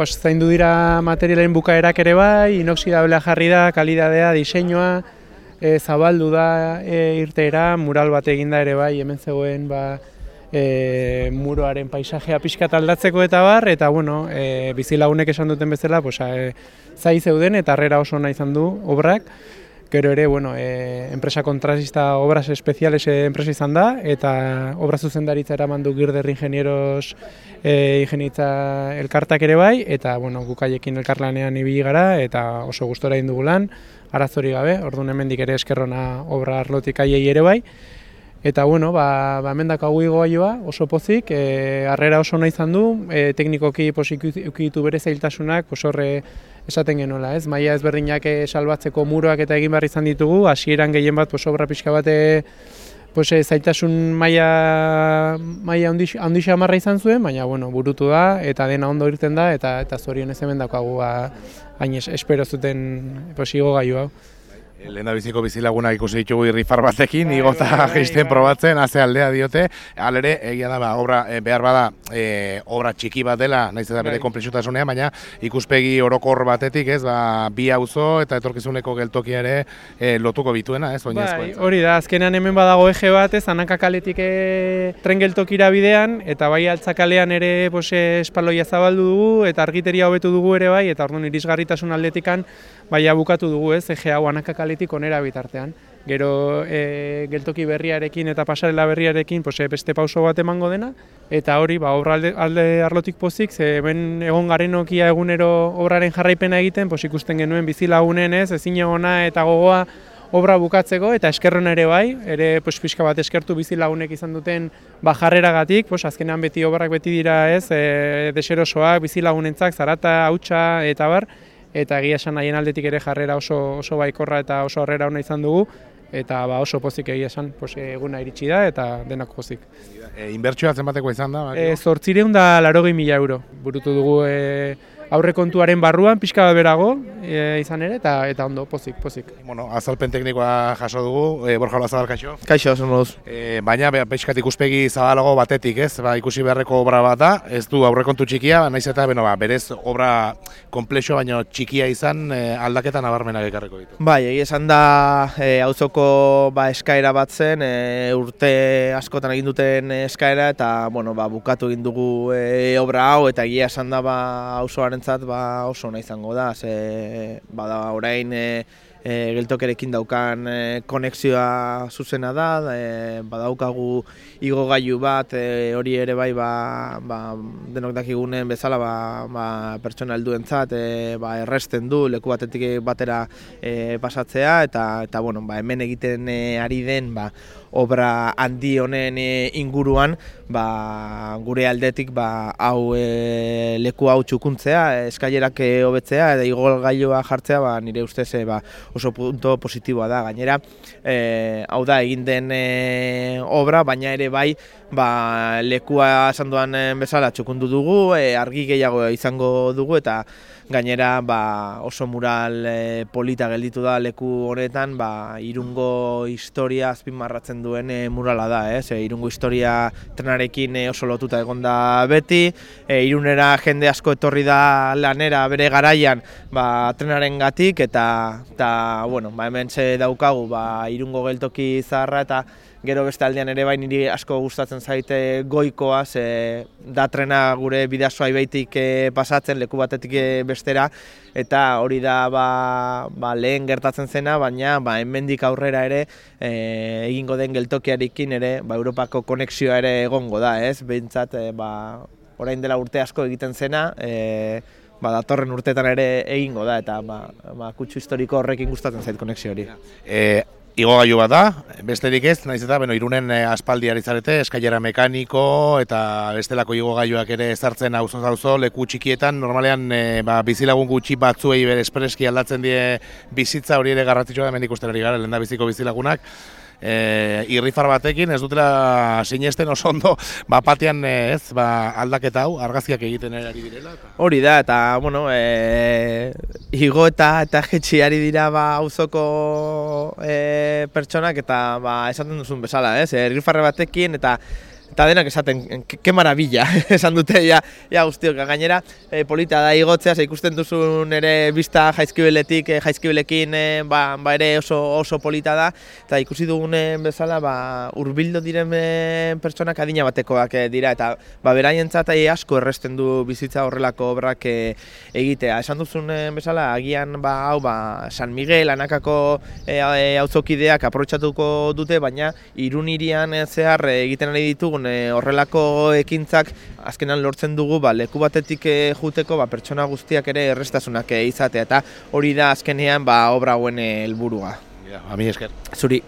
Zaindu dira materialen bukaerak ere bai, inoxidablea jarri da, kalidadea, diseinua, zabaldu da irteera, mural bat eginda ere bai, hemen zegoen muroaren paisajea pixkat aldatzeko eta bar, eta bueno, bizilagunek esan duten bezala, zai zeuden eta harrera oso ona izan du obrak. Gero ere, enpresa kontratista Obras Espeziales enpresa izan da, eta obra zuzendaritza eraman du Girder Ingenieros ingenietza elkartak ere bai, eta gukaiekin elkarlanean ibili gara, eta oso gustora egin dugu lan, arazori gabe, orduan hemendik ere eskerrona obra arlotik aiei ere bai. Eta hemen daukagu igogailua oso pozik, harrera oso ona izan du, teknikoki ukitu bere zailtasunak, horre esaten genuela, ez? Maila ezberdinak salbatzeko muroak eta egin behar izan ditugu, hasieran gehien bat obra pixka bate zailtasun maila handi xamarra izan zuen, baina burutu da eta dena ondo irten da eta zorionez hemen daukagu hain espero zuten igogailua. Lehendabiziko bizilagunak ikusi ditugu irrifar batekin, igota jaisten probatzen, haze aldea diote. Halere, egia da, obra behar bada, obra txiki bat dela, nahiz eta bere konplexutasunean, baina ikuspegi orokor batetik, ez, bi auzo eta etorkizuneko geltokia ere lotuko bituena, ez, oinezkoa. Hori da, azkenean hemen badago eje bat, ez, Anaka kaletik tren geltokira bidean, eta bai Altzakalean ere espaloia zabaldu dugu, eta argiteria hobetu dugu ere bai, eta orduan irisgarritasun aldetikan, bukatu dugu, ez, eje hau Anaka kaletik onera bitartean. Gero geltoki berriarekin eta pasarela berriarekin beste pauso bat emango dena, eta hori obra alde arlotik pozik, hemen egon garenokia egunero obraren jarraipena egiten, ikusten genuen bizilagunen ezin egona eta gogoa obra bukatzeko, eta eskerron ere bai, ere pixka bat eskertu bizilagunek izan duten jarreragatik, azkenean beti obrak beti dira deserosoak, bizilagunentzak, zarata, hautsa eta bar, eta egia esan haien aldetik ere jarrera oso baikorra eta oso harrera ona izan dugu, eta oso pozik egia esan eguna iritsi da eta denak pozik. Inbertsioa zenbateko izan da? 880.000 euro burutu dugu aurrekontuaren barruan, pixka bat berago izan ere, eta ondo, pozik. Azalpen teknikoa jaso dugu, Borja Olazabal, kaixo? Kaixo, oso moduz. Baina, pixkat ikuspegi zabalago batetik, ez? Ikusi beharreko obra bat da, ez du aurrekontu txikia, nahiz eta berez obra komplexo, baina txikia izan aldaketa nabarmenak ekarriko ditu. Bai, egia esan da auzoko eskaera bat zen, urte askotan egin duten eskaera, eta bukatu egin dugu obra hau, eta egia esan da auzoaren oso ona izango da, bada orain geltokerekin daukan konexioa zuzena da, badaukagu igogailu bat, hori ere bai denok dakigunen bezala pertsona helduentzat erresten du leku batetik batera pasatzea, eta hemen egiten ari den obra handi honen inguruan gure aldetik hau leku hau txukuntzea, eskailerak hobetzea eta igogailua jartzea nire ustez oso punto positiboa da. Gainera, hau da egin den obra, baina ere bai lekua esan duan bezala txukundu dugu, argi gehiago izango dugu, eta gainera oso mural polita gelditu da leku honetan, Irungo historia azpimarratzen duen murala da, Irungo historia trenarekin oso lotuta egon da beti, Irunera jende asko etorri da lanera bere garaian trenaren gatik, eta hemen daukagu Irungo geltoki zaharra, eta gero beste aldean ere niri asko gustatzen zaite Goikoa, da trena gure Bidasoa ibaitik pasatzen leku batetik bestera, eta hori da lehen gertatzen zena, baina hemendik aurrera ere egingo den geltokiarekin ere Europako konexioa ere egongo da, behintzat orain dela urte asko egiten zena, datorren urteetan ere egingo da, eta kutsu historiko horrekin gustatzen zait konexio hori. Igogailu bat da, besterik ez, nahiz eta Irunen aspaldi ari zarete, eskailera mekaniko eta bestelako igogailuak ere ezartzen auzo leku txikietan, normalean bizilagun gutxi batzuei bere espreski aldatzen die bizitza, hori ere garrantzitsua da, hemen ikusten ari gara, lehendabiziko bizilagunak. Irrifar batekin ez dutela sinesten oso ondo batean aldaketa hau argazkiak egiten ari direla. Hori da, eta igo eta jetxi ari dira auzoko pertsonak, eta esaten duzun bezala, irrifarre batekin, eta eta denak esaten, ke maravilla, esan dute ja guztiok. Gainera, polita da igotzea, ikusten duzun ere bista Jaizkibeletik, Jaizkibelekin ere oso polita da, eta ikusi dugunen bezala hurbildu diren pertsonak adina batekoak dira, eta beraientzat asko erresten du bizitza horrelako obrak egitea. Esan duzun bezala, agian San Miguel, Anakako auzokideak aprobetxatuko dute, baina Irun hirian zehar egiten ari ditugun horrelako ekintzak azkenan lortzen dugu leku batetik juteko pertsona guztiak ere errestasunak izatea, eta hori da azkenean obra hauen helburua. Ami esker. Zuri.